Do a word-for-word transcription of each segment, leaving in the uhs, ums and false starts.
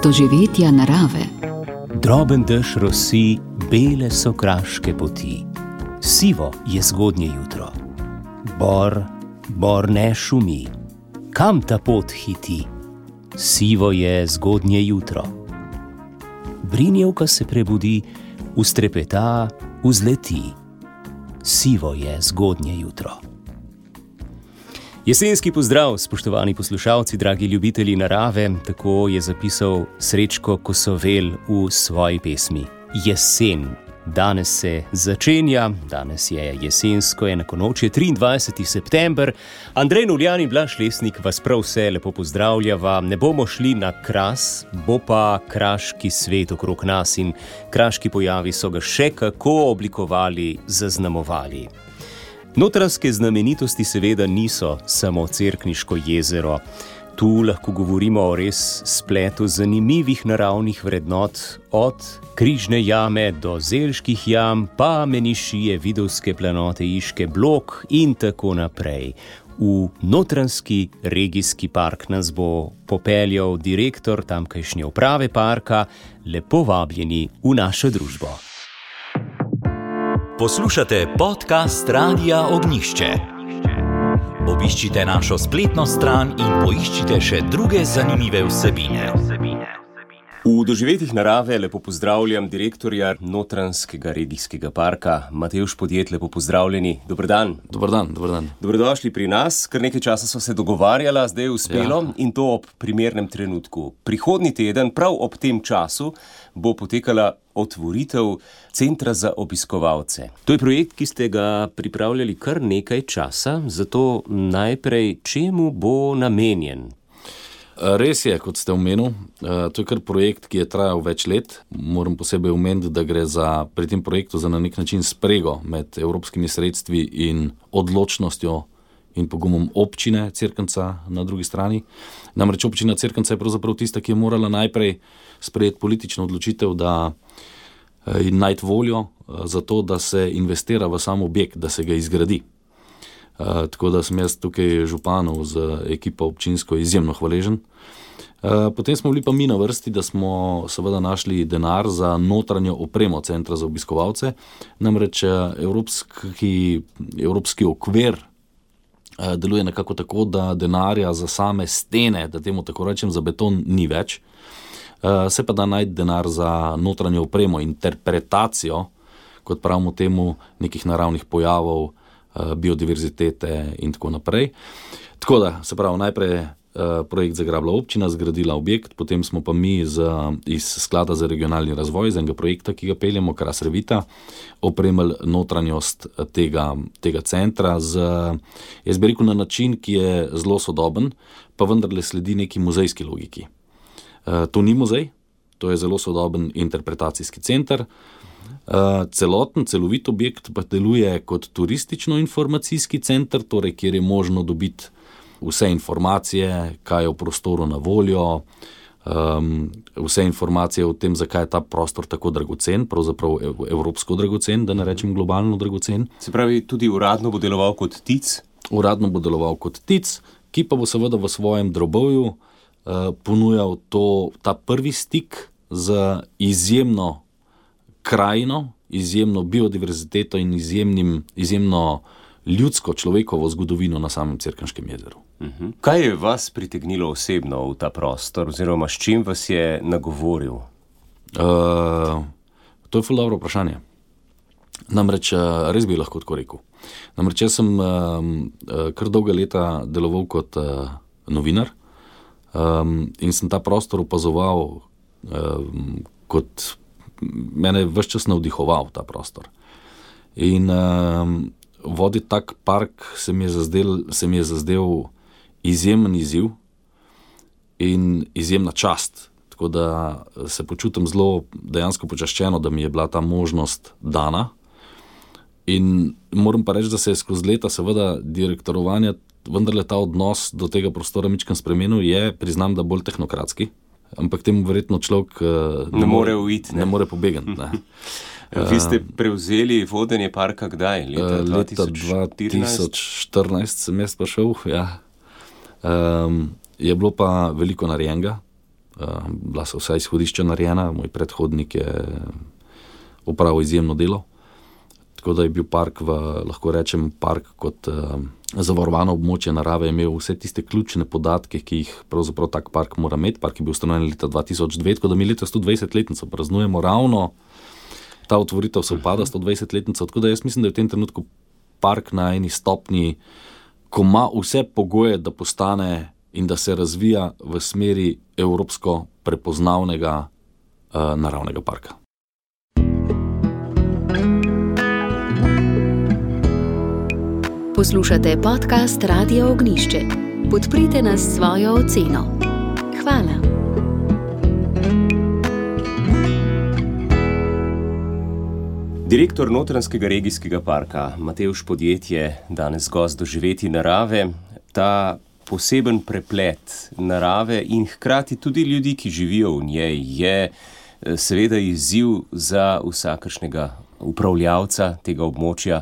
doživetja narave. Droben dež rosi, bele so kraške poti. Sivo je zgodnje jutro. Bor, bor ne šumi. Kam ta pot hiti? Sivo je zgodnje jutro. Brinjevka se prebudi, ustrepeta, vzleti. Sivo je zgodnje jutro. Jesenski pozdrav, spoštovani poslušalci, dragi ljubitelji narave, tako je zapisal Srečko Kosovel v svoji pesmi. Jesen. Danes se začenja, danes je jesensko enakonočje, triindvajseti september. Andrej Nuljan in Blaž Lesnik vas prav vse lepo pozdravljava. Ne bomo šli na Kras, bo pa kraški svet okrog nas in kraški pojavi so ga še kako oblikovali, zaznamovali. Notranjske znamenitosti seveda niso samo Cerkniško jezero. Tu lahko govorimo o res spletu zanimivih naravnih vrednot, od Križne jame do Zelških jam, pa Menišije, Vidovske planote, Iške, Blok in tako naprej. V Notranjski regijski park nas bo popeljal direktor tamkajšnje uprave parka. Lepo vabljeni v našo družbo. Poslušate podcast Radia Ognjišče. Obiščite našo spletno stran in poiščite še druge zanimive vsebine. V doživetjih narave lepo pozdravljam direktorja Notranjskega regijskega parka, Matevž Podjed, lepo pozdravljeni. Dober dan. Dober dan, dober dan. Dobrodošli pri nas, kar nekaj časa so se dogovarjala, zdaj je uspelo, ja. In to ob primernem trenutku. Prihodnji teden, prav ob tem času, bo potekala otvoritev centra za obiskovalce. To je projekt, ki ste ga pripravljali kar nekaj časa, zato najprej čemu bo namenjen? Res je, kot ste omenil, to je kar projekt, ki je trajal več let. Moram posebej omeniti, da gre za, pri tem projektu za na nek način sprego med evropskimi sredstvi in odločnostjo in pogumom občine Cerknca na drugi strani. Namreč občina Cerknca je pravzaprav tista, ki je morala najprej sprejeti politično odločitev, da in najti voljo za to, da se investira v sam objekt, da se ga izgradi. Uh, tako da sem jaz tukaj županu z ekipo občinsko izjemno hvaležen. Uh, potem smo bili pa mi na vrsti, da smo seveda našli denar za notranjo opremo centra za obiskovalce. Namreč evropski, evropski okvir uh, deluje nekako tako, da denarja za same stene, da temu tako rečem, za beton ni več. Uh, se pa da najti denar za notranjo opremo, interpretacijo, kot pravimo temu, nekih naravnih pojavov, biodiverzitete in tako naprej. Tako da, se pravi, najprej uh, projekt zagrabila občina, zgradila objekt, potem smo pa mi z, iz Sklada za regionalni razvoj, z enega projekta, ki ga peljemo, Kras Revita, opremili notranjost tega, tega centra z, jaz bi rekel, na način, ki je zelo sodoben, pa vendarle sledi neki muzejski logiki. Uh, to ni muzej, to je zelo sodoben interpretacijski center. Uh, celoten, celovit objekt pa deluje kot turistično-informacijski center, torej kjer je možno dobiti vse informacije, kaj je v prostoru na voljo, um, vse informacije o tem, zakaj je ta prostor tako dragocen, pravzaprav evropsko dragocen, da ne rečem globalno dragocen. Se pravi, tudi uradno bo deloval kot tic? Uradno bo deloval kot tic, ki pa bo seveda v svojem drobovju uh, ponujal to, ta prvi stik z izjemno krajino, izjemno biodiverziteto in izjemnim, izjemno ljudsko človekovo zgodovino na samem Cerkniškem jezeru. Uh-huh. Kaj je vas pritegnilo osebno v ta prostor, oziroma s čim vas je nagovoril? Uh, to je ful dobro vprašanje. Namreč, res bi lahko tako rekel. Namreč, jaz sem uh, kar dolga leta deloval kot uh, novinar um, in sem ta prostor opazoval uh, kot mene je ves čas navdihoval ta prostor. In um, voditi tak park se mi je zazdel, se mi je zazdel izjemen izziv in izjemna čast. Tako da se počutim zelo dejansko počaščeno, da mi je bila ta možnost dana. In moram pa reči, da se je skozi leta seveda direktorovanja vendarle ta odnos do tega prostora mičkeno spremenil, je, priznam, da bolj tehnokratski. Ampak temu verjetno človek uh, ne, ne more uiti, ne, ne more pobegati. Ne. Vi ste prevzeli vodenje parka kdaj? Leta, leta dva tisoč štirinajst sem jaz pa šel, ja. Um, je bilo pa veliko narejenega. bila so vsa izhodišča narejena, moj predhodnik je opravil izjemno delo, tako da je bil park, v, lahko rečem, park kot zavarovano območje narave, imel vse tiste ključne podatke, ki jih pravzaprav tak park mora imeti. Park je bil ustanovljen leta dva tisoč dve, tako da mi leta sto dvajsetletnico praznujemo ravno, ta otvoritev se upada sto dvajsetletnico, tako da jaz mislim, da je v tem trenutku park na eni stopnji, ko ima vse pogoje, da postane in da se razvija v smeri evropsko prepoznavnega uh, naravnega parka. Poslušate podcast Radia Ognjišče. Podprite nas s svojo oceno. Hvala. Direktor Notranjskega regijskega parka Matevž Podjed je danes gost Doživeti narave. Ta poseben preplet narave in hkrati tudi ljudi, ki živijo v njej, je seveda izziv za vsakršnega upravljavca tega območja.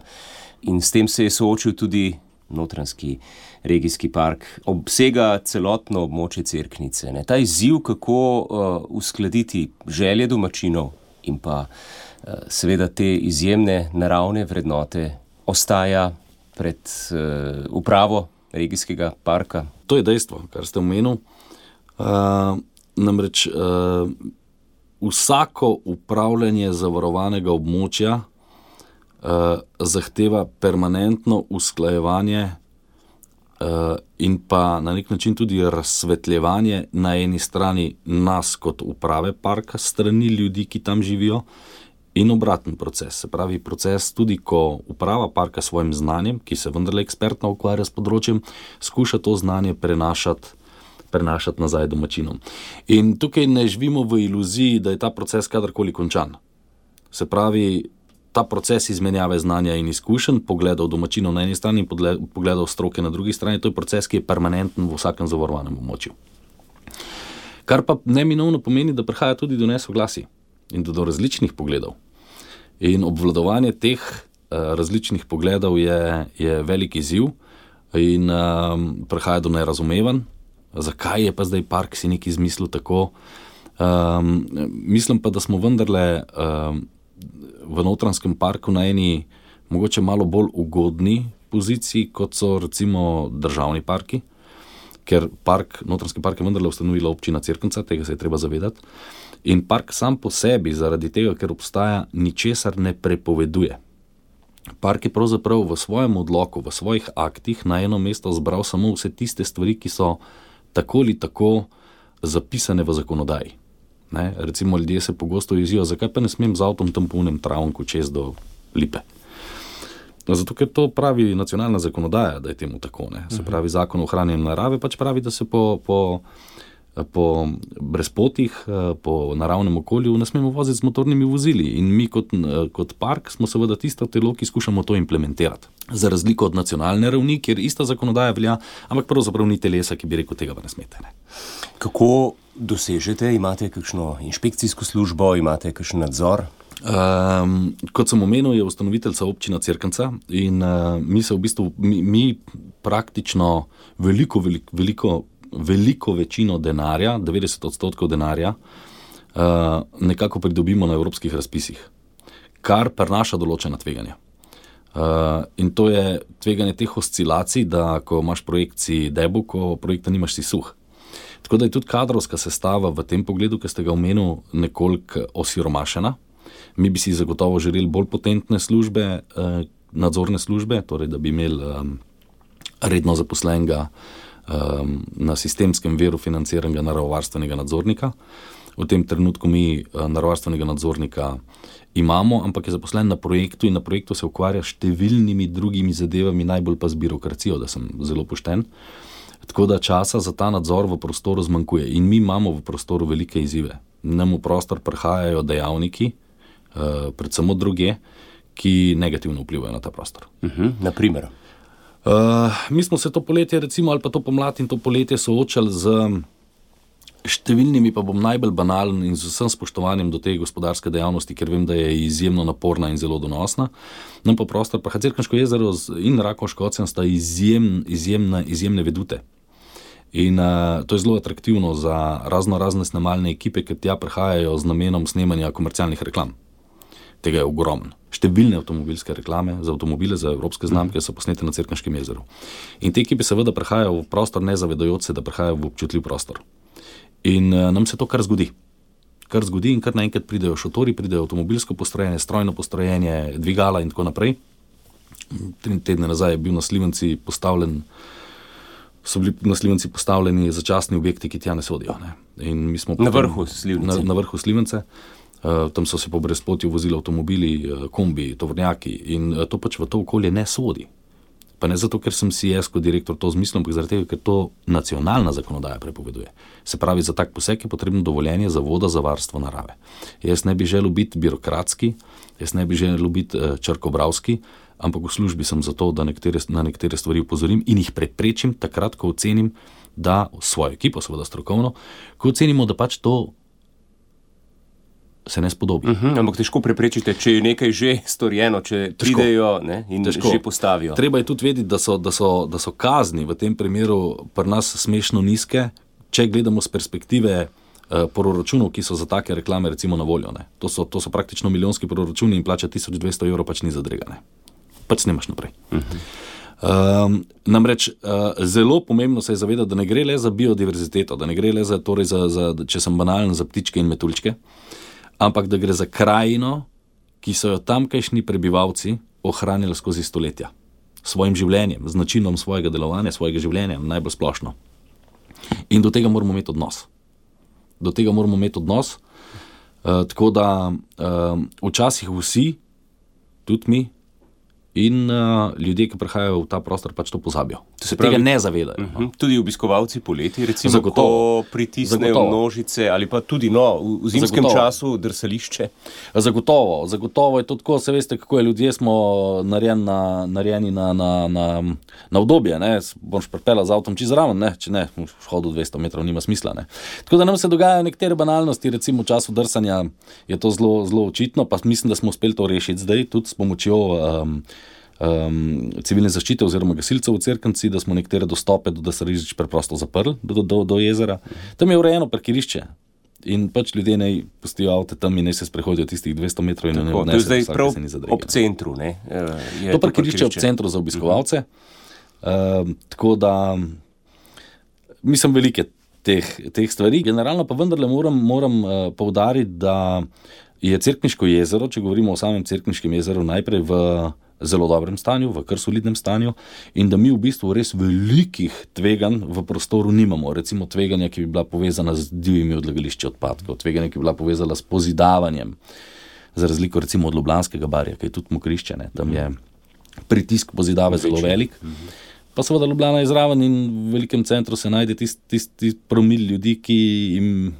In s tem se je soočil tudi Notranjski regijski park. Obsega celotno območje Cerknice. Ne? Ta izziv, kako uh, uskladiti želje domačinov in pa uh, seveda te izjemne naravne vrednote, ostaja pred uh, upravo regijskega parka. To je dejstvo, kar ste omenil. Uh, namreč uh, vsako upravljanje zavarovanega območja Uh, zahteva permanentno usklajevanje uh, in pa na nek način tudi razsvetljevanje na eni strani nas kot uprave parka, strani ljudi, ki tam živijo, in obraten proces. Se pravi, proces tudi, ko uprava parka s svojim znanjem, ki se vendarle ekspertno ukvarja s področjem, skuša to znanje prenašati, prenašati nazaj domačinom. In tukaj ne živimo v iluziji, da je ta proces kadarkoli končan. Se pravi, ta proces izmenjave znanja in izkušenj, pogledov domačinov na eni strani in pogledov stroke na drugi strani, to je proces, ki je permanenten v vsakem zavarovanem območju. Kar pa neminovno pomeni, da prihaja tudi do nesoglasij in do, do različnih pogledov. In obvladovanje teh uh, različnih pogledov je, je velik izziv in um, prihaja do nerazumevanj. Zakaj je pa zdaj park si nekaj izmislil tako? Um, mislim pa, da smo vendarle um, v Notranjskem parku na eni mogoče malo bolj ugodni poziciji, kot so recimo državni parki, ker park, Notranjski park je vendarle ustanovila občina Cerknica, tega se je treba zavedati. In park sam po sebi, zaradi tega, ker obstaja, ničesar ne prepoveduje. Park je pravzaprav v svojem odloku, v svojih aktih na eno mesto zbral samo vse tiste stvari, ki so tako ali tako zapisane v zakonodaji. Ne, recimo ljudje se pogosto jezijo, zakaj pa ne smem z avtom tam po unem travnku čez do Lipe. Zato, ker to pravi nacionalna zakonodaja, da je temu tako. Ne. Se pravi, zakon o ohranjanju narave pač pravi, da se po, po, po brezpotih, po naravnem okolju ne smemo voziti z motornimi vozili. In mi kot, kot park smo seveda tisto telo, ki skušamo to implementirati. Za razliko od nacionalne ravni, kjer ista zakonodaja velja, ampak pravzaprav ni telesa, ki bi rekel, tega pa ne smete. Ne. Kako dosežete? Imate kakšno inšpekcijsko službo, imate kakšen nadzor? Um, kot sem omenil, je ustanoviteljca občina Cerknica in uh, mi se v bistvu, mi, mi praktično veliko, veliko, veliko, veliko večino denarja, devetdeset odstotkov denarja, uh, nekako pridobimo na evropskih razpisih, kar prinaša določena tveganja. Uh, in to je tveganje teh oscilacij, da ko imaš projekciji debu, ko projekta nimaš, si suh. Tako da je tudi kadrovska sestava v tem pogledu, ki ste ga omenil, nekoliko osiromašena. Mi bi si zagotovo želeli bolj potentne službe, eh, nadzorne službe, torej da bi imeli um, redno zaposlenega um, na sistemskem veru financiranega naravovarstvenega nadzornika. V tem trenutku mi uh, naravovarstvenega nadzornika imamo, ampak je zaposlen na projektu in na projektu se ukvarja s številnimi drugimi zadevami, najbolj pa z birokracijo, da sem zelo pošten. Tako da časa za ta nadzor v prostoru zmanjkuje in mi imamo v prostoru velike izzive. Nam v prostor prihajajo dejavniki, uh, predvsem od druge, ki negativno vplivajo na ta prostor. Uh-huh, naprimer? Uh, mi smo se to poletje recimo ali pa to pomlad in to poletje soočali z številnimi, pa bom najbolj banalen in z vsem spoštovanjem do te gospodarske dejavnosti, ker vem, da je izjemno naporna in zelo donosna. Nam pa prostor, pa Cerkniško jezero in Rakovško ocean sta izjem, izjemne, izjemne vedute. In uh, to je zelo atraktivno za razno razne snemalne ekipe, ki tja prihajajo z namenom snemanja komercialnih reklam. Tega je ogromno. Številne avtomobilske reklame za avtomobile, za evropske znamke so posnete na Cerkniškem jezeru. In te ekipe seveda prihajajo v prostor, ne zavedajoč se, da prihajajo v občutljiv prostor. In uh, nam se to kar zgodi. Kar zgodi in kar naenkrat pridejo šotori, pridejo avtomobilsko postrojenje, strojno postrojenje, dvigala in tako naprej. Tri tedne nazaj je bil na Slivenci postavljen, so bili na Slivenci postavljeni začasni objekti, ki tja ne sodijo. Ne. In mi smo na vrhu Slivence. Na, na vrhu Slivence. Uh, tam so se po brezpotju vozili avtomobili, uh, kombi, tovornjaki in uh, to pač v to okolje ne sodi. Pa ne zato, ker sem si jaz kot direktor to zmislil, ampak zaradi tega, ker to nacionalna zakonodaja prepoveduje. Se pravi, za tak poseg je potrebno dovoljenje Zavoda za varstvo narave. Jaz ne bi želel biti birokratski, jaz ne bi želel biti uh, črkobravski, ampak v službi sem zato, da nekatere, na nekatere stvari upozorim in jih preprečim takrat, ko ocenim, da svojo ekipo, seveda strokovno, ko ocenimo, da pač to se ne spodobi. Uh-huh, ampak težko preprečite, če je nekaj že storjeno, če težko pridejo, ne, in težko že postavijo. Treba je tudi vedeti, da so, da, so, da so kazni v tem primeru pri nas smešno nizke, če gledamo z perspektive uh, proračunov, ki so za take reklame recimo na voljo. Ne. To, so, to so praktično milijonski proračuni in plača tisoč dvesto evrov pač ni zadregane. Pač snemaš naprej. Uh-huh. Um, namreč uh, zelo pomembno se je zavedati, da ne gre le za biodiverziteto, da ne gre le za, torej za, za, če sem banalen, za ptičke in metuljčke, ampak da gre za krajino, ki so jo tamkajšnji prebivalci ohranili skozi stoletja. Svojim življenjem, z načinom svojega delovanja, svojega življenja, najbolj splošno. In do tega moramo imeti odnos. Do tega moramo imeti odnos, uh, tako da uh, včasih vsi, tudi mi, in uh, ljudje, ki prihajajo v ta prostor, pač to pozabijo. Se pravi, tega ne zavedajo. Uh-huh. No. Tudi obiskovalci poleti, recimo, zagotovo, ko pritisnejo zagotovo. Množice ali pa tudi no, v zimskem zagotovo. Času drsališče. Zagotovo, zagotovo je to tako, se veste, kako je, ljudje smo narejeni na, narejeni na, na, na, na obdobje, ne, boš pripela z avtom čez raven, ne, če ne, v hodu dvesto metrov nima smisla, ne. Tako da nam se dogajajo nekatere banalnosti, recimo v času drsanja je to zelo, zelo očitno, pa mislim, da smo uspeli to rešiti zdaj, tudi s pomočjo um, Um, civilne zaščite oziroma gasilcev v Cerknici, da smo nekatere dostope do Dasarižič preprosto zaprli do, do, do jezera. Tam je urejeno parkirišče in pač ljudje naj pustijo avte tam in naj se sprehodijo tistih dvesto metrov in tako, ne odnesejo. To je zdaj prav ob centru, ne? Je to parkirišče ob centru za obiskovalce. Uh-huh. Uh, tako da mislim velike teh, teh stvari. Generalno pa vendarle moram, moram uh, poudariti, da je Cerkniško jezero, če govorimo o samem Cerkniškem jezeru, najprej v zelo dobrem stanju, v kar solidnem stanju in da mi v bistvu res velikih tveganj v prostoru nimamo. Recimo tveganja, ki bi bila povezana z divjimi odlagališči odpadkov, tveganja, ki bi bila povezana s pozidavanjem, za razliko recimo od Ljubljanskega barja, ki je tudi mokrišče, ne? Tam je pritisk pozidave zelo velik. Pa seveda Ljubljana je zraven in v velikem centru se najde tisti tist, tist promil ljudi, ki jim,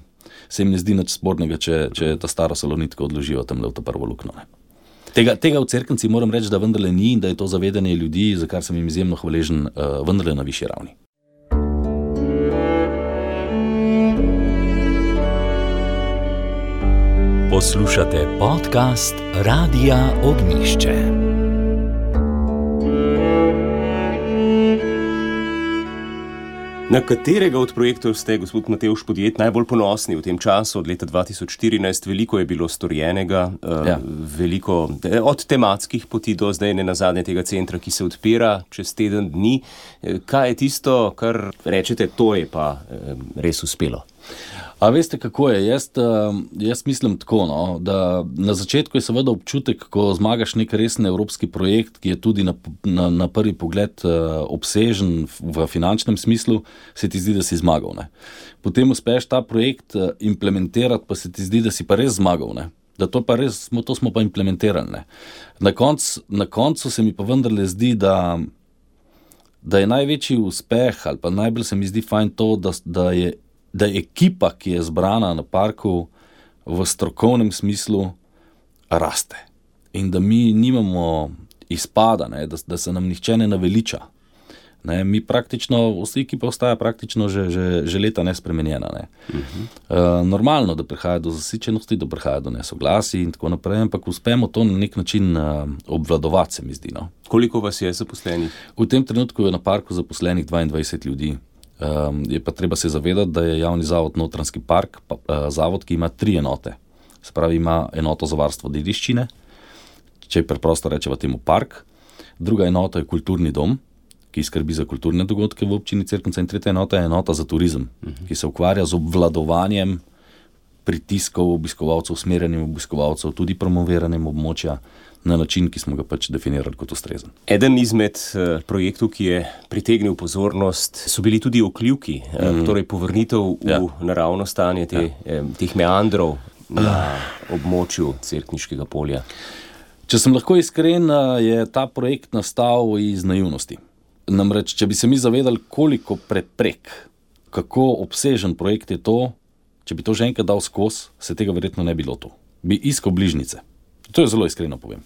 se jim ne zdi nič spornega, če, če ta staro salonitko odložijo tam le v to prvo luknjo. Tega, tega v Cerknici moram reči, da vendarle ni in da je to zavedanje ljudi, za kar sem jim izjemno hvaležen, uh, vendarle na višji ravni. Poslušate podcast Radia Ognjišče. Na katerega od projektov ste, gospod Matevž Podjed, najbolj ponosni v tem času? Od leta dva tisoč štirinajst veliko je bilo storjenega, ja. Veliko od tematskih poti do zdaj ne nazadnje tega centra, ki se odpira čez teden dni. Kaj je tisto, kar rečete, to je pa res uspelo? A veste, kako je? Jaz, jaz mislim tako, no, da na začetku je seveda občutek, ko zmagaš nek resen evropski projekt, ki je tudi na, na, na prvi pogled obsežen v finančnem smislu, se ti zdi, da si zmagal. Ne. Potem uspeš ta projekt implementirati, pa se ti zdi, da si pa res zmagal. Ne. Da to, pa res, to smo pa implementirali. Ne. Na, konc, na koncu se mi pa vendarle zdi, da, da je največji uspeh, ali pa najbolj se mi zdi fajn to, da, da je da je ekipa, ki je zbrana na parku v strokovnem smislu, raste. In da mi nimamo izpada, ne, da, da se nam nihče ne naveliča. Ne, mi praktično, vsa ekipa ostaja praktično že, že, že leta nespremenjena. Ne. Uh-huh. Uh, normalno, da prihaja do zasičenosti, da prihaja do nesoglasij in tako naprej, ampak uspemo to na nek način uh, obvladovati, se mi zdi. No. Koliko vas je zaposlenih? V tem trenutku je na parku zaposlenih dvaindvajset ljudi. Um, je pa treba se zavedati, da je javni zavod Notranjski park, pa, uh, zavod, ki ima tri enote. Se pravi, ima enoto za varstvo dediščine, če preprosto rečemo temu park, druga enota je kulturni dom, ki skrbi za kulturne dogodke v občini Cerknica, in tretja enota je enota za turizem, uh-huh. ki se ukvarja z obvladovanjem pritiskov obiskovalcev, usmerjanjem obiskovalcev, tudi promoviranjem območja na način, ki smo ga pač definirali kot ustrezen. Eden izmed uh, projektov, ki je pritegnil pozornost, so bili tudi okljuki, mm. uh, torej povrnitev v ja. naravno stanje te, ja. eh, teh meandrov na območju Cerkniškega polja. Če sem lahko iskren, je ta projekt nastal iz naivnosti. Namreč, če bi se mi zavedali, koliko preprek, kako obsežen projekt je to, če bi to že enkrat dal skozi, se tega verjetno ne bi lotil. Bi iskal bližnice. To je zelo iskreno povem.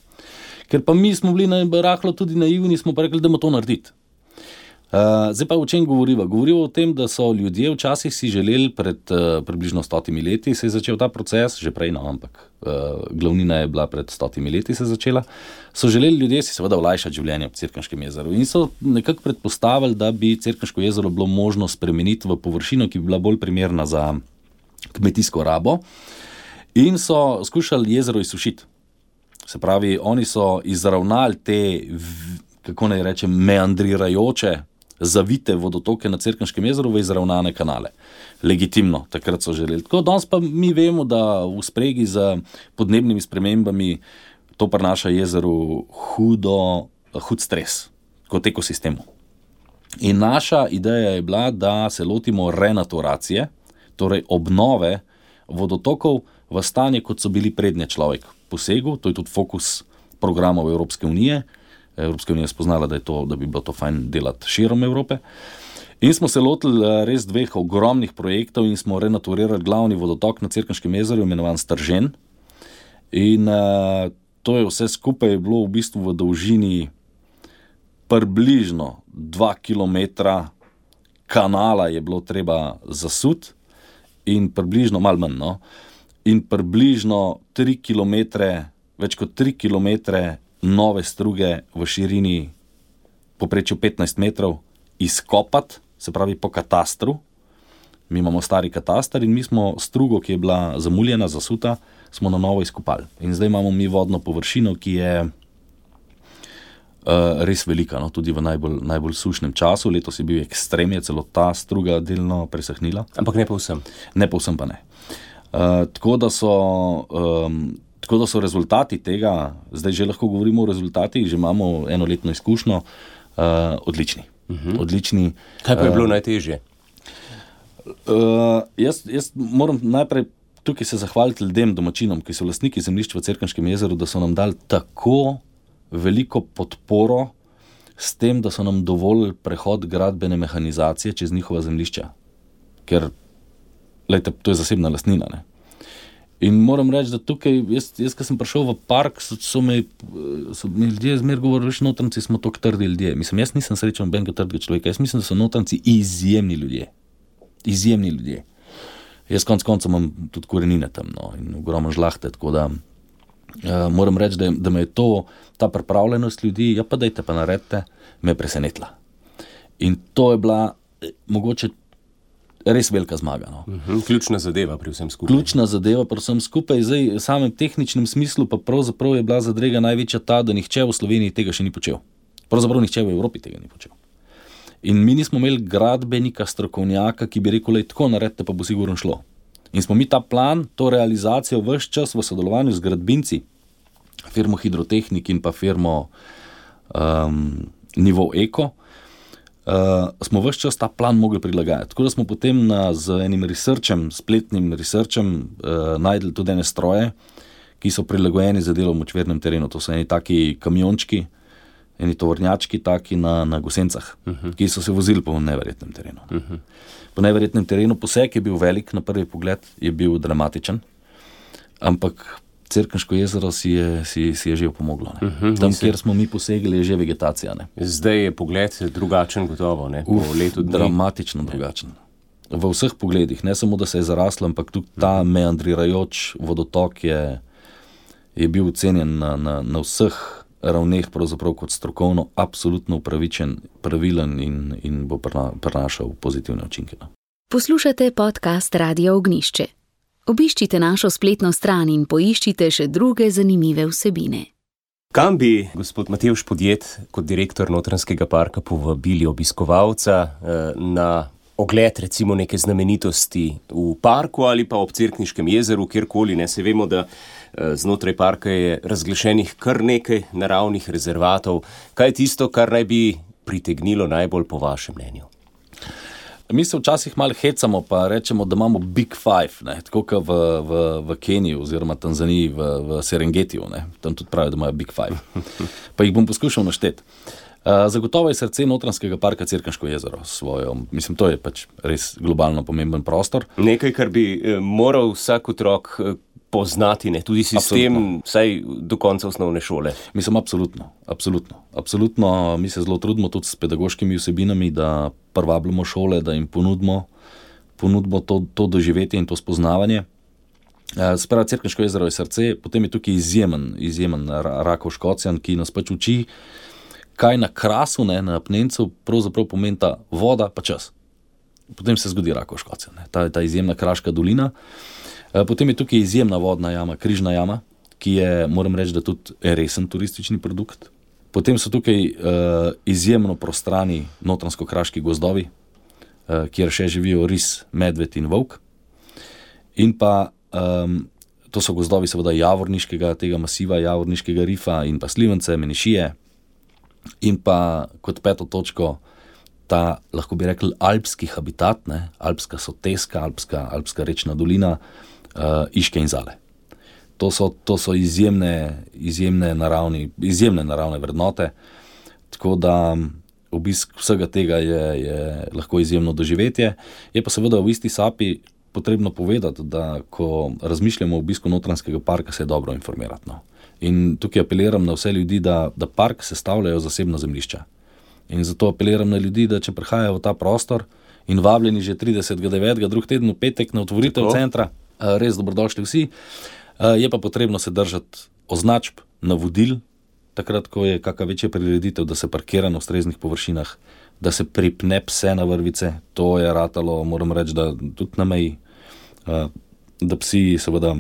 Ker pa mi smo bili na rahlo tudi naivni, smo pa rekli, da bomo to narediti. Uh, zdaj pa o čem govoriva? Govoriva o tem, da so ljudje včasih si želeli pred uh, približno stotimi leti, se je začel ta proces, že prej, no, ampak uh, glavnina je bila pred stotimi leti se začela, so želeli ljudje si seveda olajšati življenje v Cerkniškem jezeru in so nekako predpostavili, da bi Cerkniško jezero bilo možno spremeniti v površino, ki bi bila bolj primerna za kmetijsko rabo, in so skušali jezero izsušiti. Se pravi, oni so izravnali te, kako naj rečem, meandrirajoče, zavite vodotoke na Cerkniškem jezeru v izravnane kanale. Legitimno, takrat so želeli. Tako danes pa mi vemo, da v spregi z podnebnimi spremembami to prinaša jezeru hudo, hud stres kot ekosistemu. In naša ideja je bila, da se lotimo renaturacije, torej obnove vodotokov v stanje, kot so bili prednje človek posegel. To je tudi fokus programov Evropske unije. Evropska unija je spoznala, da, je to, da bi bilo to fajn delati širom Evrope. In smo se lotili res dveh ogromnih projektov in smo renaturirali glavni vodotok na Cerkniškem jezeru, imenovan Stržen. In uh, to je vse skupaj bilo v bistvu v dolžini približno dva kilometra kanala je bilo treba zasuti in približno, malo manj, no, in približno tri kilometre, več kot tri kilometre nove struge v širini poprečju petnajst metrov izkopati, se pravi po katastru. Mi imamo stari katastar in mi smo strugo, ki je bila zamuljena, zasuta, smo na novo izkopali. In zdaj imamo mi vodno površino, ki je uh, res velika, no, tudi v najbolj, najbolj sušnem času. Letos je bil ekstrem, je celo ta struga delno presahnila. Ampak ne povsem. Ne povsem pa ne. Uh, tako da so... Um, Tako da so rezultati tega, zdaj že lahko govorimo o rezultatih, že imamo enoletno izkušnjo, uh, odlični. Uh-huh. odlični. Kaj pa je bilo uh, najtežje? Uh, jaz, jaz moram najprej tukaj se zahvaliti ljudem, domačinom, ki so lastniki zemljišč v Cerkniškem jezeru, da so nam dali tako veliko podporo s tem, da so nam dovolili prehod gradbene mehanizacije čez njihova zemljišča. Ker, lejte, to je zasebna lastnina, ne? In moram reči, da tukaj, jaz, jaz ko sem prišel v park, so, so, me, so mi ljudje zmer govorili, veš, Notranjci smo toliko trdi ljudje. Mislim, jaz nisem srečen nobenega trdega človeka, jaz mislim, da so Notranjci izjemni ljudje. Izjemni ljudje. Jaz konec konca imam tudi korenine tam, no, in ogromno žlahte, tako da uh, moram reči, da, da me je to, ta pripravljenost ljudi, ja pa dajte, pa naredite, me je presenetila. In to je bila eh, mogoče res velika zmaga. No. Uh-huh. Ključna zadeva pri vsem skupaj. Ključna zadeva pri vsem skupaj. Zdaj, v samem tehničnem smislu pa pravzaprav je bila zadrega največja ta, da nihče v Sloveniji tega še ni počel. Pravzaprav nihče v Evropi tega ni počel. In mi nismo imeli gradbenika, strokovnjaka, ki bi rekel, lej, tako naredite, pa bo sigurno šlo. In smo mi ta plan, to realizacijo ves čas v sodelovanju z gradbinci, firmo Hidrotehnik in pa firmo um, Nivo Eko, Uh, smo ves čas ta plan mogli prilagajati. Tako da smo potem na, z enim researchem, spletnim researchem uh, najdli tudi ene stroje, ki so prilagojeni za delo v močvirnem terenu. To so eni taki kamiončki, eni tovornjački taki na, na Gosencah, uh-huh. ki so se vozili po neverjetnem terenu. Uh-huh. Po neverjetnem terenu poseg je bil velik, na prvi pogled je bil dramatičen, ampak Cerkniško jezero si je, si, si je že pomoglo. Ne? Uh-huh, Tam, kjer smo mi posegli, je že vegetacija. Ne? Zdaj je pogled drugačen gotovo, ne? Po Uf, letu dni. Dramatično drugačen. V vseh pogledih, ne samo, da se je zaraslo, ampak tudi ta uh-huh. meandrirajoč vodotok je, je bil ocenjen na, na, na vseh ravneh pravzaprav kot strokovno absolutno upravičen, pravilen in, in bo prinašal pozitivne učinke. Poslušate podcast Radia Ognjišče. Obiščite našo spletno stran in poiščite še druge zanimive vsebine. Kam bi, gospod Matevž Podjed, kot direktor Notranjskega parka povabili obiskovalca na ogled recimo neke znamenitosti v parku ali pa ob Cerkniškem jezeru, kjerkoli, ne, se vemo, da znotraj parka je razglašenih kar nekaj naravnih rezervatov. Kaj je tisto, kar naj bi pritegnilo najbolj po vašem mnenju? Mi se včasih malo hecamo, pa rečemo, da imamo Big Five, ne, tako kot v, v, v Keniji oziroma Tanzaniji, v, v Serengetiju, ne, tam tudi pravijo, da imajo Big Five. Pa jih bom poskušal našteti. Uh, zagotovo je srce Notranjskega parka Cerkniško jezero svojo, mislim, to je pač res globalno pomemben prostor. Nekaj, kar bi eh, moral vsak otrok eh, poznati, ne, tudi sistem, absolutno. Vsaj do konca osnovne šole. Mislim, absolutno, absolutno. Absolutno, mi se zelo trudimo tudi s pedagoškimi vsebinami, da privabljamo šole, da jim ponudimo, ponudimo to, to doživetje in to spoznavanje. Uh, Sprava Cerkniško jezero je srce, potem je tukaj izjemen, izjemen Rakov Škocjan, ki nas pač uči, kaj na Krasu, ne, na Apnencu, pravzaprav pomeni ta voda pa čas. Potem se zgodi Rakov Škocjan, ne, ta, ta izjemna kraška dolina. Potem je tukaj izjemna vodna jama, Križna jama, ki je, moram reči, da tudi resen turistični produkt. Potem so tukaj uh, izjemno prostrani notranjsko-kraški gozdovi, uh, kjer še živijo ris, medved in volk. In pa um, to so gozdovi seveda javorniškega tega masiva, javorniškega rifa in pa slivence, menišije. In pa kot peto točko ta, lahko bi rekli, alpski habitat, ne, alpska soteska, alpska, alpska rečna dolina, uh, Iške in Zale. To so, to so izjemne, izjemne, naravni, izjemne naravne vrednote, tako da obisk vsega tega je, je lahko izjemno doživetje. Je pa seveda v isti sapi potrebno povedati, da ko razmišljamo o obisku Notranjskega parka, se je dobro informirati. No. In tukaj apeliram na vse ljudi, da, da park sestavljajo zasebna zemljišča. In zato apeliram na ljudi, da če prihajajo v ta prostor in vabljeni že tridesetega devetega drug teden v petek na otvoritev tako centra, res dobrodošli vsi, je pa potrebno se držati označb, navodil, takrat, ko je kakšna večja prireditev, da se parkira na ustreznih površinah, da se pripne pse na vrvice, to je ratalo, moram reči, da tudi na meji, da psi seveda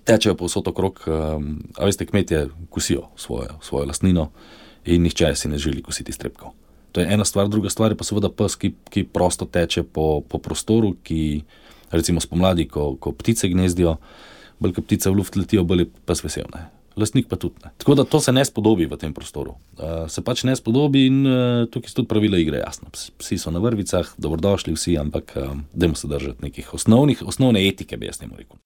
tečejo povsod okrog, a veste, kmetje kosijo svojo, svojo lastnino in nihče si ne želi kositi strepkov. To je ena stvar, druga stvar je pa seveda pes, ki, ki prosto teče po, po prostoru, ki recimo spomladi, ko, ko ptice gnezdijo, bolj ko ptice v luft letijo, bolj je pes vesel, ne. Lastnik pa tudi ne. Tako da to se ne spodobi v tem prostoru. Uh, se pač ne spodobi in uh, tukaj so tudi pravila igre jasna. Psi so na vrvicah, dobrodošli vsi, ampak uh, dajmo se držati nekih osnovnih, osnovne etike, bi jaz temu rekel.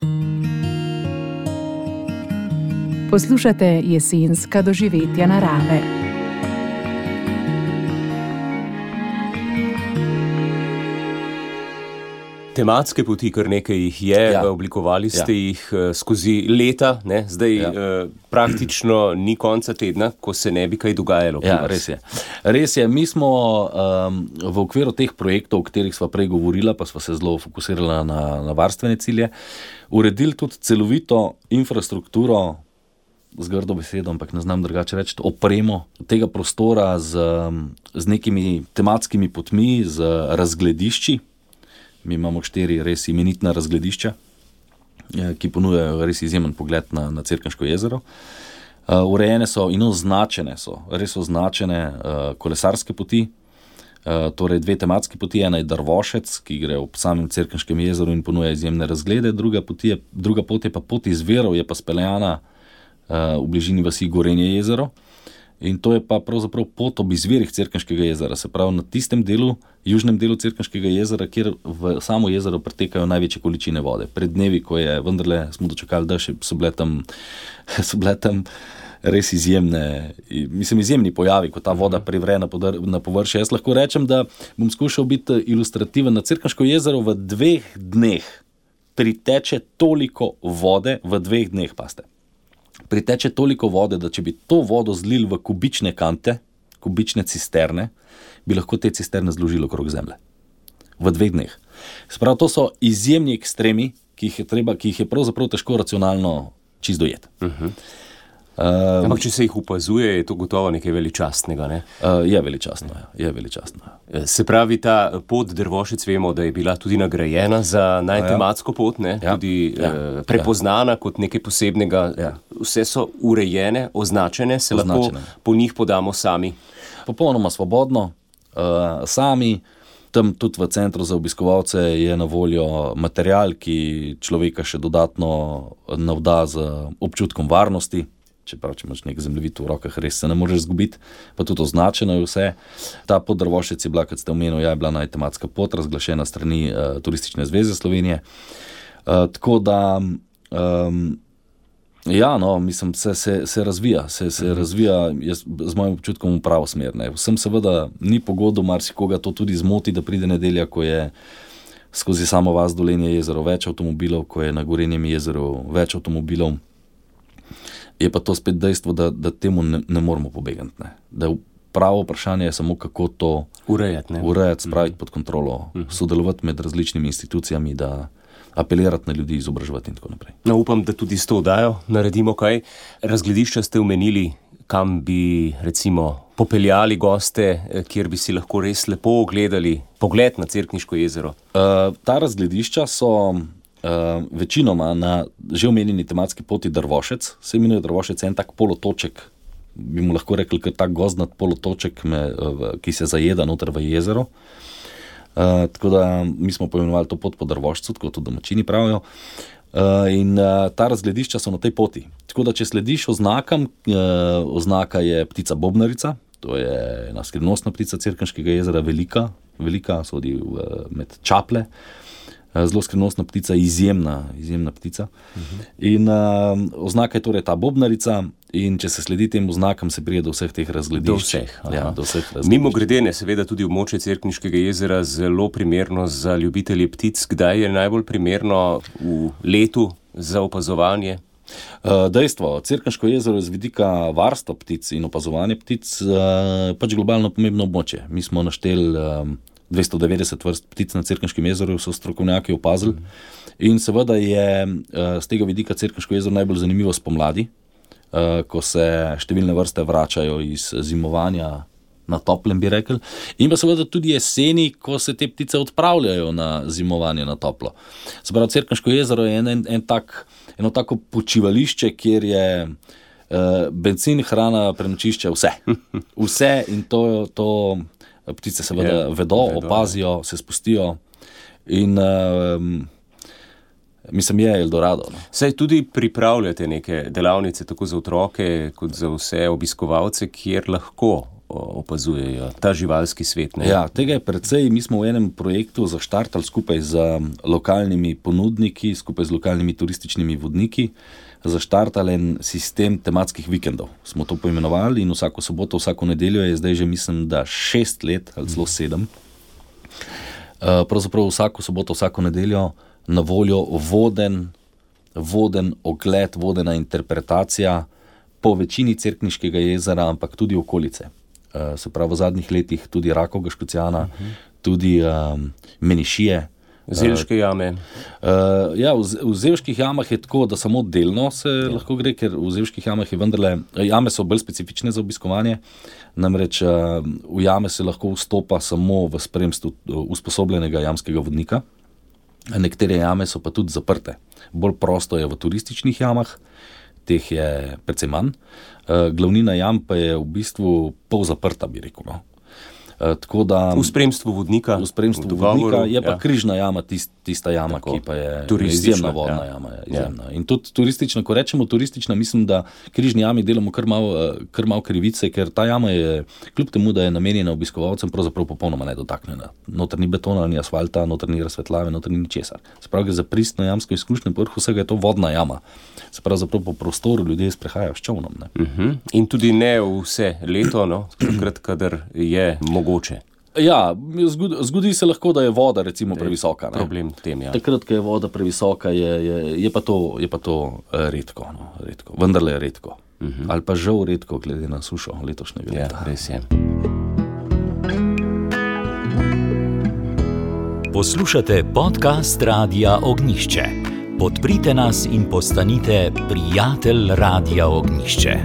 Poslušate jesenska doživetja narave. Tematske poti, kar nekaj jih je, ja. Oblikovali ste ja. jih skozi leta, ne? Zdaj ja. eh, praktično ni konca tedna, ko se ne bi kaj dogajalo. Ja, res je. Res je, mi smo um, v okviru teh projektov, o katerih sva prej govorila, pa sva se zelo fokusirala na, na varstvene cilje, uredili tudi celovito infrastrukturo, z grdo besedo, ampak ne znam drugače reči, opremo tega prostora z, z nekimi tematskimi potmi, z razgledišči. Mi imamo štiri res imenitna razgledišča, ki ponujajo res izjemen pogled na, na Cerkniško jezero. Uh, urejene so in označene so, res označene uh, kolesarske poti, uh, torej dve tematske poti, ena je Drvošec, ki gre ob samem Cerkniškem jezeru in ponuja izjemne razglede, druga, poti je, druga pot je pa pot iz Verov, je pa speljana uh, v bližini vasi Gorenje jezero. In to je pa pravzaprav pot ob izvirih Cerkniškega jezera, se pravi na tistem delu, južnem delu Cerkniškega jezera, kjer v samo jezero pretekajo največje količine vode. Pred dnevi, ko je vendarle smo dočekali dež, so bile tam, so bile tam res izjemne, mislim, izjemni pojavi, ko ta voda privre na, podr, na površje. Jaz lahko rečem, da bom skušal biti ilustrativen. Na Cerkniško jezero v dveh dneh priteče toliko vode, v dveh dneh, paste. Priteče toliko vode, da če bi to vodo zlili v kubične kante, kubične cisterne, bi lahko te cisterne zložili okrog zemlje. V dveh dneh. Sprav, to so izjemni ekstremi, ki jih je, treba, ki jih je pravzaprav težko racionalno čist dojeti. Uh-huh. Uh, Ampak, če se jih opazuje, je to gotovo nekaj veličastnega, ne? Uh, je veličastno, ja. je veličastno. Se pravi, ta pot Drvošec, vemo, da je bila tudi nagrajena za najtematsko pot, ne? Ja. Tudi ja. uh, prepoznana ja. kot nekaj posebnega. Ja. Vse so urejene, označene, se označene. Lahko po njih podamo sami. Popolnoma svobodno, uh, sami. Tam tudi v centru za obiskovalce je na voljo material, ki človeka še dodatno navda z občutkom varnosti. Čeprav, če imaš nek zemljevid v rokah, res se ne moreš zgubiti, pa tudi označeno je vse. Ta pot Drvošec je bila, kot ste omenili, ja, je bila najtematska pot, razglašena strani uh, Turistične zveze Slovenije. Uh, tako da, um, ja, no, mislim, se, se, se razvija, se, se razvija jaz, z mojim občutkom v pravo smer. Ne. Vsem seveda ni pogodo, marsikoga to tudi zmoti, da pride nedelja, ko je skozi samo vas Dolenje jezero več avtomobilov, ko je na Gorenjem jezeru več avtomobilov. Je pa to spet dejstvo, da, da temu ne, ne moramo pobegati. Ne. Da pravo vprašanje je samo, kako to urejati, urejati spraviti pod kontrolo, uh-huh. sodelovati med različnimi institucijami, da apelirati na ljudi, izobraževati in tako naprej. No, upam, da tudi s to oddajo naredimo kaj. Razgledišča ste omenili, kam bi recimo popeljali goste, kjer bi si lahko res lepo ogledali pogled na Cerkniško jezero. Uh, ta razgledišča so Uh, večinoma na že omenjeni tematski poti Drvošec, se imenuje Drvošec en tak polotoček, bi mu lahko rekli, ker tak gozdnat polotoček, me, uh, ki se zajeda noter v jezero. Uh, tako da mi smo poimenovali to pot po Drvošcu, tako to domačini pravijo. Uh, in uh, ta razgledišča so na tej poti. Tako da, če slediš oznakam, uh, oznaka je ptica bobnarica, to je ena skrivnostna ptica Cerkniškega jezera, velika, velika, sodi v, med čaple. Zelo skrivnostna ptica, izjemna, izjemna ptica. Uh-huh. In uh, oznaka je torej ta bobnarica in če se sledi tem oznakam, se prije do vseh teh razgledišč. Do vseh. Ja, do vseh razgledišč. Mimo gredene, seveda tudi območje Cerkniškega jezera zelo primerno za ljubitelje ptic. Kdaj je najbolj primerno v letu za opazovanje? Uh, dejstvo, Cerkniško jezero je z vidika varstva ptic in opazovanja ptic uh, pač globalno pomembno območje. Mi smo našteli um, dvesto devetdeset vrst ptic na Cerkniškem jezeru, so strokovnjaki opazili. In seveda je z tega vidika Cerkniško jezero najbolj zanimivo spomladi, ko se številne vrste vračajo iz zimovanja na toplem, bi rekel. In pa seveda tudi jeseni, ko se te ptice odpravljajo na zimovanje na toplo. Se pravi, Cerkniško jezero je en, en, en tak, eno tako počivališče, kjer je uh, bencin, hrana, prenočišče, vse. Vse in to, to ptice seveda je, vedo, vedo, opazijo, se spustijo in um, mislim, je Eldorado. No. Saj tudi pripravljate neke delavnice tako za otroke, kot za vse obiskovalce, kjer lahko opazujejo ta živalski svet. Ne? Ja, tega je precej. Mi smo v enem projektu zaštartali skupaj z lokalnimi ponudniki, skupaj z lokalnimi turističnimi vodniki, zaštartali en sistem tematskih vikendov. Smo to poimenovali in vsako soboto, vsako nedeljo je zdaj že, mislim, da šest let ali celo sedem. Pravzaprav vsako soboto, vsako nedeljo na voljo voden, voden ogled, vodena interpretacija po večini Cerkniškega jezera, ampak tudi okolice. Se pravi, v zadnjih letih tudi Rakovega Škocjana, uh-huh. tudi um, Menišije. Zelške jame. Uh, ja, v, v Zelških jamah je tako, da samo delno se ja. lahko gre, ker v Zelških jamah je vendarle, jame so bolj specifične za obiskovanje, namreč uh, v jame se lahko vstopa samo v spremstvu usposobljenega jamskega vodnika, nekatere jame so pa tudi zaprte. Bolj prosto je v turističnih jamah, teh je precej manj, uh, glavnina jam pa je v bistvu pol zaprta, bi rekel, no. Tako da, v spremstvu vodnika, v spremstvu v vodnika je pa ja. križna jama, tist, tista jama, tako, ki pa je izjemna vodna ja. jama. Je izjemna. Ja. In tudi turistična, ko rečemo turistična, mislim, da križni jami delamo kar malo kar mal krivice, ker ta jama je, kljub temu, da je namenjena obiskovalcem, pravzaprav popolnoma nedotaknjena. Noter ni betona, ni asfalta, noter ni razsvetljave, noter ni ničesar. Se pravi, gre za pristno jamsko izkušnjo, povrh vsega je to vodna jama. Se pravi, zaprav po prostoru ljudje sprehajajo s čovnom. Ne? Uh-huh. In tudi ne vse leto, no, takrat, kadar je mogoče. Ja, zgodi, zgodi se lahko, da je voda recimo previsoka. Ne? Problem tem, ja. Takrat, ko je voda previsoka, je, je, je, pa, to, je pa to redko, no, redko. Vendarle je redko. Uh-huh. Ali pa žal redko, glede na sušo letošnjega leta. Ja, res je. Poslušate podcast Radia Ognišče. Podprite nas in postanite prijatelj Radia Ognjišče.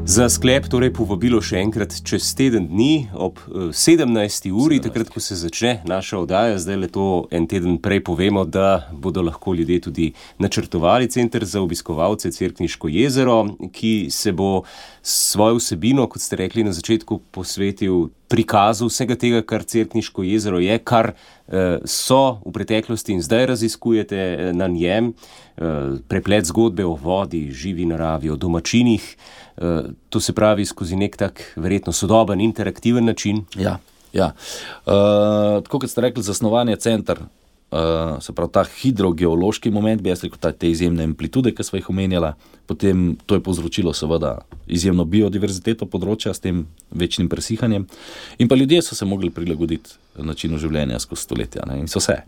Za sklep torej povabilo še enkrat čez teden dni ob sedemnajsti uri, takrat, ko se začne naša oddaja. Zdaj le to en teden prej povemo, da bodo lahko ljudje tudi načrtovali center za obiskovalce Cerkniško jezero, ki se bo svojo vsebino, kot ste rekli na začetku, posvetil prikazu vsega tega, kar Cerkniško jezero je, kar eh, so v preteklosti in zdaj raziskujete eh, na njem, eh, preplet zgodbe o vodi, živi naravi, o domačinih. Uh, to se pravi skozi nek tak verjetno sodoben, interaktiven način. Ja, ja. Uh, tako kot ste rekli, zasnovanje center, uh, se pravi ta hidrogeološki moment, bi jaz rekel, ta, te izjemne amplitude, ki smo jih omenjala, potem to je povzročilo seveda izjemno biodiverziteto področja s tem večnim presihanjem in pa ljudje so se mogli prilagoditi načinu življenja skozi stoletja, ne, in so se.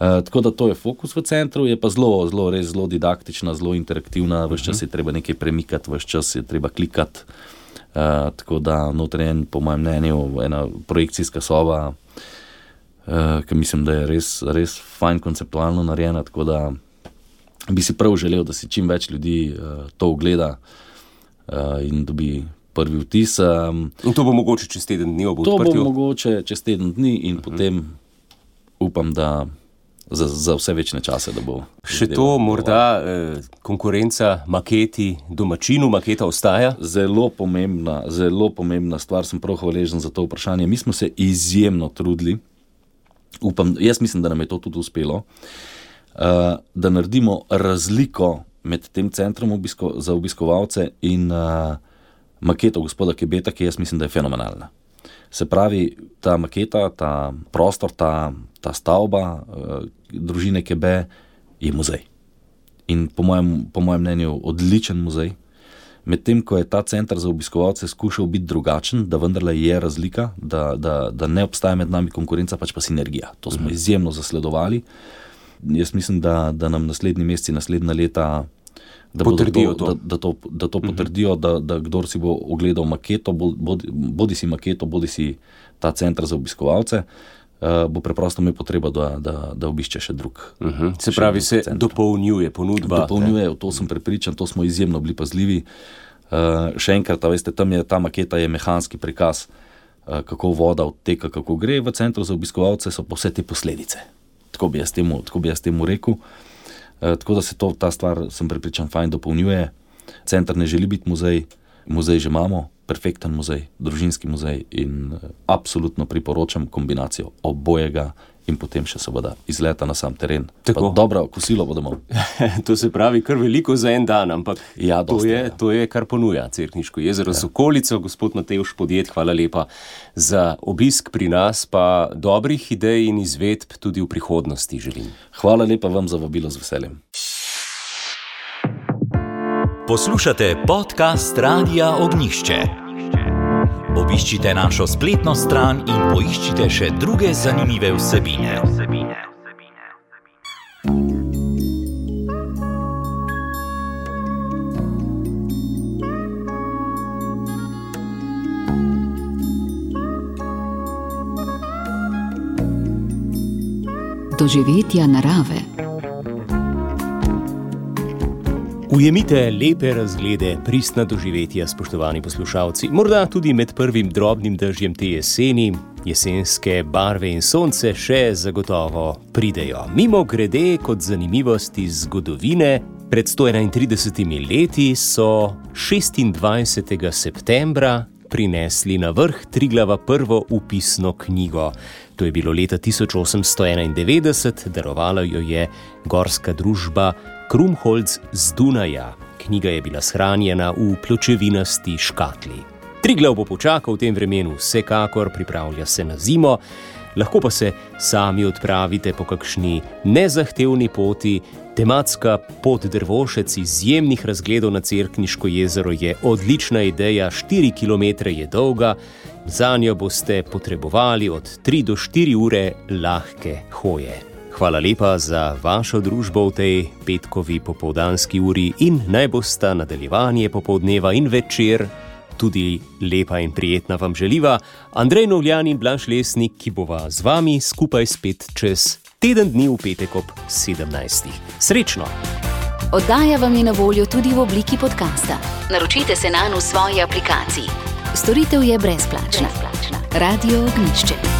Uh, tako da to je fokus v centru, je pa zelo, zelo, res zelo didaktična, zelo interaktivna, ves čas je treba nekaj premikati, ves čas je treba klikati, uh, tako da notranjen, po mojem mnenju, ena projekcijska soba, uh, ki mislim, da je res, res fajn konceptualno narejena, tako da bi si prav želel, da si čim več ljudi uh, to ogleda uh, in dobi prvi vtis. Um, in to bo mogoče čez teden dni ob odprtju? To bo mogoče čez teden dni in uh-huh. potem upam, da Za, za vse večne čase, da bo. Še to morda eh, konkurenca maketi domačinu, maketa ostaja? Zelo pomembna, zelo pomembna stvar, sem prav hvaležen za to vprašanje. Mi smo se izjemno trudili, upam, jaz mislim, da nam je to tudi uspelo, uh, da naredimo razliko med tem centrom obisko, za obiskovalce in uh, maketo gospoda Kebeta, ki jaz mislim, da je fenomenalna. Se pravi, ta maketa, ta prostor, ta, ta stavba uh, družine Kebe je muzej. In po mojem, po mojem mnenju odličen muzej. Medtem, ko je ta center za obiskovalce skušal biti drugačen, da vendarle je razlika, da, da, da ne obstaja med nami konkurenca, pač pa sinergija. To smo izjemno zasledovali. Jaz mislim, da, da nam naslednji meseci, naslednja leta da potrdijo to, to. Da, da to, da to potrdijo, da, da kdor si bo ogledal maketo, bodi, bodi si maketo, bodi si ta center za obiskovalce, uh, bo preprosto imel potrebo, da, da, da obišče še drug. Uh-huh. Se pravi, se center. Dopolnjuje ponudba. Dopolnjuje, v to sem prepričan, to smo izjemno bili pazljivi. Uh, še enkrat, veste, tam je ta maketa je mehanski prikaz, uh, kako voda odteka, kako gre. V centru za obiskovalce so pa vse te posledice. Tako bi jaz temu, tako bi jaz temu rekel. Uh, tako da se to, ta stvar, sem prepričan, fajn dopolnjuje. Center ne želi biti muzej, muzej že imamo, perfekten muzej, družinski muzej in uh, absolutno priporočam kombinacijo obojega in potem še seveda izleta na sam teren. Tako. Pa dobro kosilo bo domov. To se pravi kar veliko za en dan, ampak ja, to, dosti, je, ja. to je, kar ponuja Cerkniško jezero z okolico. Gospod Matevž Podjed, hvala lepa za obisk pri nas, pa dobrih idej in izvedb tudi v prihodnosti želim. Hvala lepa vam za vabilo, z veseljem. Poslušate podcast Radia Ognjišče. Obiščite našo spletno stran in poiščite še druge zanimive vsebine. Doživetja narave. Ujemite lepe razglede, pristna doživetja, spoštovani poslušalci. Morda tudi med prvim drobnim dežjem te jeseni, jesenske barve in sonce še zagotovo pridejo. Mimo grede kot zanimivost iz zgodovine, pred sto enaintridesetimi leti so šestindvajsetega septembra prinesli na vrh Triglava prvo upisno knjigo. To je bilo leta tisoč osemsto enaindevetdeset, darovala jo je gorska družba Krumholz z Dunaja. Knjiga je bila shranjena v pločevinasti škatli. Triglav bo počakal v tem vremenu, vsekakor pripravlja se na zimo, lahko pa se sami odpravite po kakšni nezahtevni poti. Tematska pot Drvošec izjemnih razgledov na Cerkniško jezero je odlična ideja, štiri kilometre je dolga, zanjo boste potrebovali od tri do štiri ure lahke hoje. Hvala lepa za vašo družbo v tej petkovi popoldanski uri in naj bosta nadaljevanje popoldneva in večer tudi lepa in prijetna vam želiva Andrej Novljan in Blaž Lesnik, ki bova z vami skupaj spet čez teden dni v petek ob sedemnajstih. Srečno! Oddaja vam je na voljo tudi v obliki podcasta. Naročite se nanj v svoji aplikaciji. Storitev je brezplačna. brezplačna. Radio Ognjišče.